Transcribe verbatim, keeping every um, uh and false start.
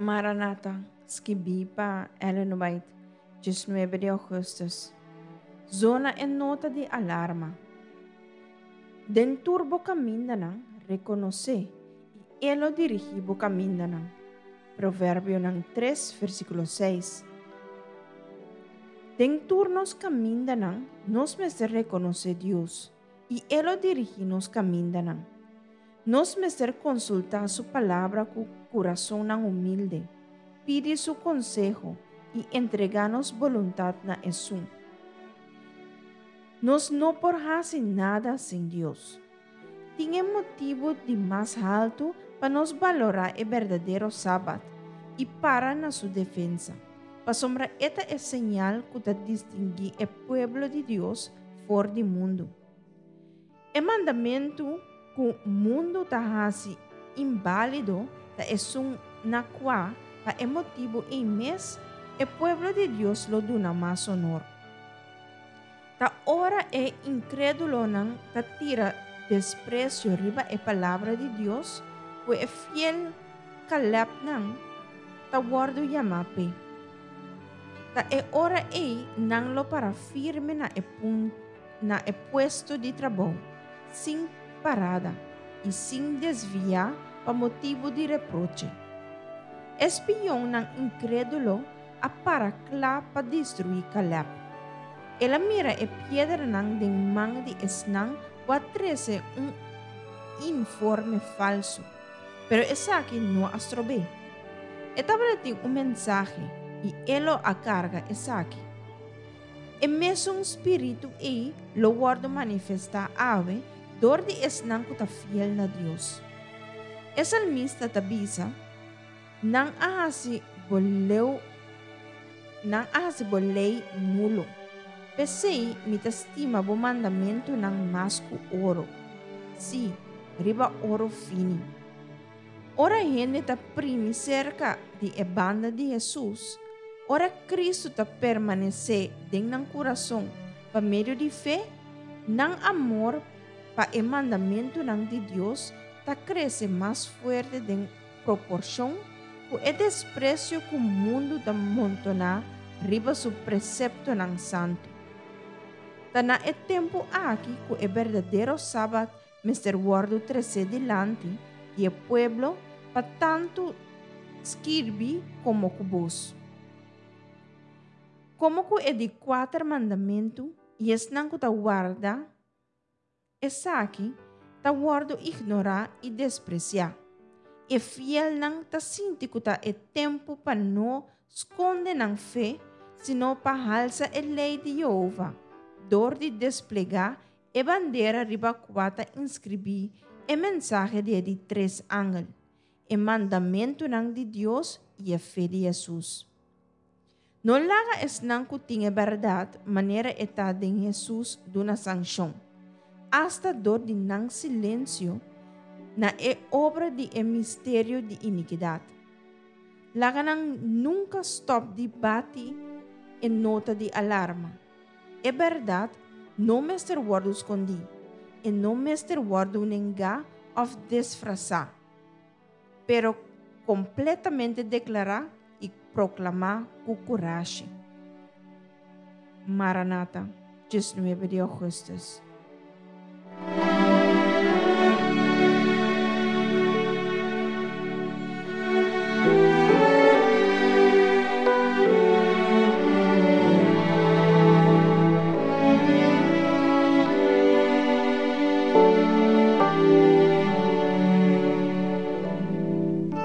Maranata, skibí pa Ellen White, diesnuebe di ougùstùs. Zona e nota di alarma. Den tur bo kamindanan, rekonos'é, i E lo dirigí bo kamindanan. Proverbionan tres, versíkulo seis. Den tur nos kamindanan, nos mester rekonosé Dios, i E lo dirigí nos kamindanan. Nos mester konsultá Su Palabra ku kurasonnan humilde, pidi Su konseho i entregá nos boluntat na Esun. Nos no por hasi nada sin Dios. Tin e motibu di mas haltu pa nos balorá e berdadero Sabat i para na su defensa, pasobra e ta e señal ku ta distinguí e pueblo di Dios for di mundu. E mandamentu ku mundu ta hasi inbálido ta esun na kua, pa e motibu ei mes, e pueblo di Dios lo duna mas honor. Ta ora e inkrédulonan ta tira despresio riba e Palabra di Dios ku e fiel Kalèpnan ta wòrdu yamá p'e. Ta e ora ei nan lo para firme na e na e puesto di trabou, sin parada i sin desviá pa motibu di reproche. E spionnan inkrédulo a para kla pa destruí Kalèb. El a mira e piedranan den man di esnan ku a trese un informe falsu, pero esaki no a strob'é. E tabatin un mensahe i e lo a karga esaki. E mesun spiritu ei lo wòrdu manifestá awe dor di esnan ku ta fiel na Dios. E salmista ta bisa, Nan a hasi bo leu, nan a hasi bo lei nulo. P'esei mi ta stima bo mandamentunan mas ku oro, sí, riba oro fini. Ora hende ta primi serka di e banda di Hesus, ora Kristu ta permanesé den nan kurason pa medio di fe, nan amor pa e mandamentunan di Dios ta krese mas fuerte den proporshon ku e despresio ku mundu ta montoná riba su preseptonan santu. Ta na e tempu aki ku e berdadero Sabat mester wòrdu tresé dilanti di e pueblo pa tantu skirbi komo ku bos. Komo ku e di kuater mandamentu i esnan ku ta warda esaki ta wòrdu ignorá i despresiá, e fielnan ta sinti ku ta e tempu pa no skonde nan fe sino pa halsa e lei di Yehova dor di desplegá e bandera riba kua ta inskribí e mensahe di e di tres angel, e mandamentunan di Dios i e fe di Hesus. No laga esnan ku tin e bèrdat manera e ta den Hesus duna sanshon, asta dor di nan silensio, na e obra di e misterio di inikidat. Laga nan nunka stòp di bati e nota di alarma. E bèrdat no mester wòrdu skondí, e no mester wòrdu nengá òf desfrasá, pero kompletamente deklará i proklamá ku kurashi. Maranata, diesnuebe di ougùstùs.